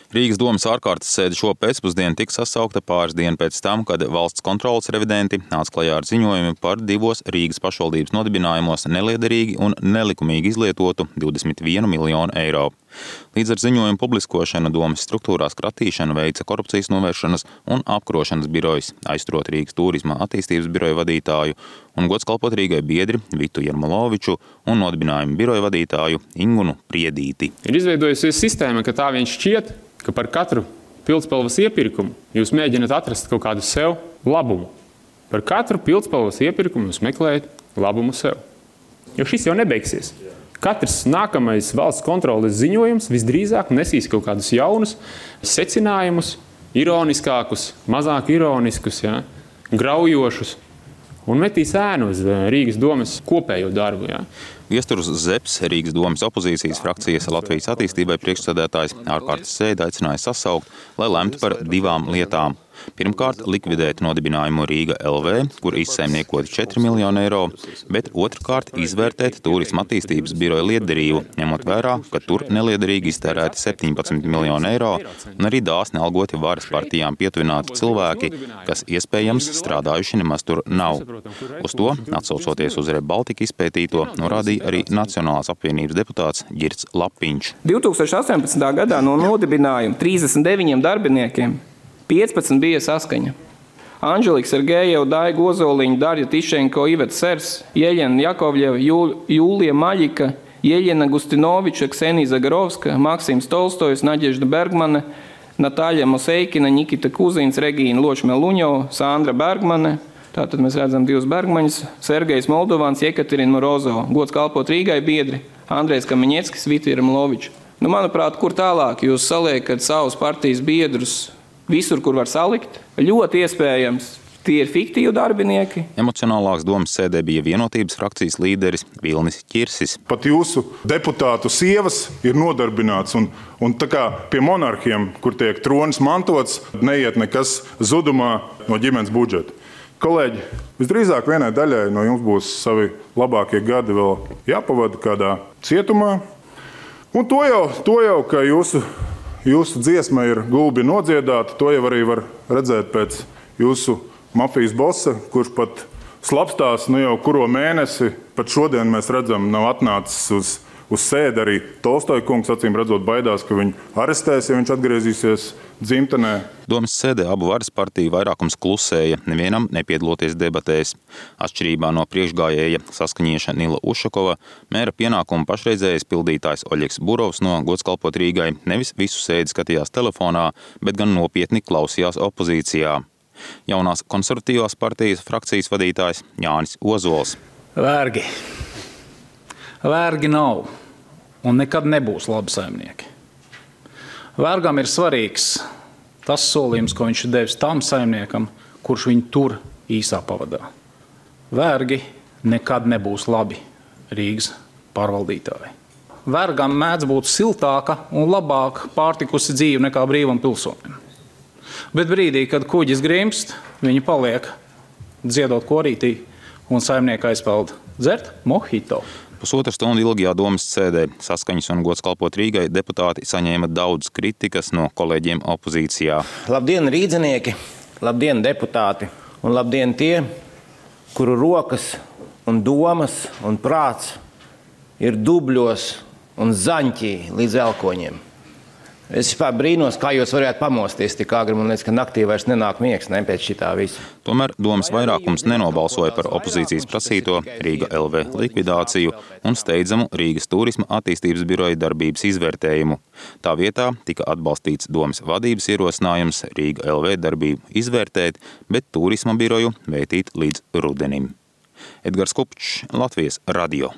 Rīgas domas ārkārtas sēde šo pēcpusdienu tika sasaukta pāris dienu pēc tam, kad valsts kontroles revidenti nāca klajā ar ziņojumu par divos Rīgas pašvaldības nodibinājumos neliederīgi un nelikumīgi izlietotu 21 miljonu eiro. Līdz ar ziņojumu publiskošanu domas struktūrās kratīšanu veica korupcijas novēršanas un apkarošanas birojas, aizturot Rīgas turisma attīstības biroja vadītāju un gods kalpot Rīgai biedri Vitu Jarmoloviču un nodibinājumu biroja vadītāju Ingunu Priedīti. Ir izveidojusies sistēma, ka tā viņš šķiet, ka par katru pildspalvas iepirkumu jūs mēģināt atrast kaut kādu sev labumu. Par katru pildspalvas iepirkumu jūs meklējat labumu sev. Jo šis jau nebeigsies. Katrs nākamais valsts kontroles ziņojums visdrīzāk nesīs kaut kādus jaunus secinājumus, ironiskākus, mazāk ironiskus, graujošus, un metīs ēnu uz Rīgas domas kopējo darbu. Viesturs Zepes, Rīgas domas opozīcijas frakcijas Latvijas attīstībai priekšsēdētājs, ārkārtas sēdi aicināja sasaukt, lai lemtu par divām lietām. Pirmkārt, likvidēt nodibinājumu Rīga LV, kur izsaimniekoti 4 miljoni eiro, bet otrkārt izvērtēt turisma attīstības biroja lietderību, ņemot vērā, ka tur neliederīgi iztērēti 17 miljoni eiro un arī dāsni algoti varas partijām pietuvināti cilvēki, kas iespējams strādājuši nemaz tur nav. Uz to, atsaucoties uz ReBaltica izpētīto, norādīja arī Nacionālās apvienības deputāts Girts Lapiņš. 2018. gadā no nodibinājuma 39 darbiniekiem 15 bija saskaņa. Anželika Sergejeva, Daiga Ozoliņa, Darja Tišenko, Iveta Sers, Jeļena Jakovļeva, Jūlija Maļika, Jeļena Gustinoviča, Ksenija Zagarovska, Maksims Tolstojs, Nadežda Bergmane, Natāļa Moseikina, Nikita Kuzīns, Regīna Ločmeluņova, Sandra Bergmane. Tātad mēs redzam divus Bergmaņus, Sergejs Moldovāns, Jekaterina Morozova, gods kalpot Rīgai biedri, Andrejs Kamiņeckis, Vita Jarmoloviča. Manuprāt, kur tālāk jūs saliekat savus partijas biedrus visur, kur var salikt? Ļoti iespējams, tie ir fiktīvi darbinieki. Emocionālāks domas sēdē bija Vienotības frakcijas līderis Vilnis Ķirsis. Pat jūsu deputātu sievas ir nodarbināts, un tā kā pie monarhiem, kur tiek tronis mantots, neiet nekas zudumā no ģimenes budžeta. Kolēģi, visdrīzāk vienai daļai no jums būs savi labākie gadi vēl jāpavada kādā cietumā. Un to jau ka jūsu dziesma ir gulbi nodziedāta, to jau arī var redzēt pēc jūsu mafijas bossa, kurš pat slapstās jau kuro mēnesi, pat šodien mēs redzam, nav atnācis uz sēdi. Arī Tolstoja kungs, acīm redzot, baidās, ka viņu arestēs, ja viņš atgriezīsies dzimtenē. Domas sēdē abu varas partiju vairākums klusēja, nevienam nepiedaloties debatēs. Atšķirībā no priekšgājēja saskaņieša Nila Ušakova, mēra pienākumu pašreizējais pildītājs Oļegs Burovs no gods kalpot Rīgai nevis visu sēdi skatījās telefonā, bet gan nopietni klausījās opozīcijā. Jaunās konservatīvās partijas frakcijas vadītājs Jānis Ozols. Vergi. Vergi nav un nekad nebūs labi saimnieki. Vergam ir svarīgs tas solījums, ko viņš ir devis tam saimniekam, kurš viņu tur īsā pavadā. Vergi nekad nebūs labi Rīgas pārvaldītāji. Vergam mēdz būt siltāka un labāk pārtikusi dzīve nekā brīvam pilsonim. Bet brīdī, kad kuģis grimst, viņi paliek dziedot korītī un saimnieka aizpeld dzert mojito. Pusotru stundu ilgajā domas sēdē Saskaņas un gods kalpot Rīgai deputāti saņēma daudz kritikas no kolēģiem opozīcijā. Labdien, rīdzinieki, labdien, deputāti, un labdien tie, kuru rokas un domas un prāts ir dubļos un zaņķī līdz elkoņiem. Es vispār brīnos, kā jūs varētu pamosties tik agri, man liekas, ka naktī vairs nenāk miegs, ne pēc šitā visa. Tomēr domas vairākums nenobalsoja par opozīcijas prasīto Rīga LV likvidāciju un steidzamu Rīgas turisma attīstības biroja darbības izvērtējumu. Tā vietā tika atbalstīts domas vadības ierosinājums Rīga LV darbību izvērtēt, bet turisma biroju vētīt līdz rudenim. Edgars Kupčs, Latvijas radio.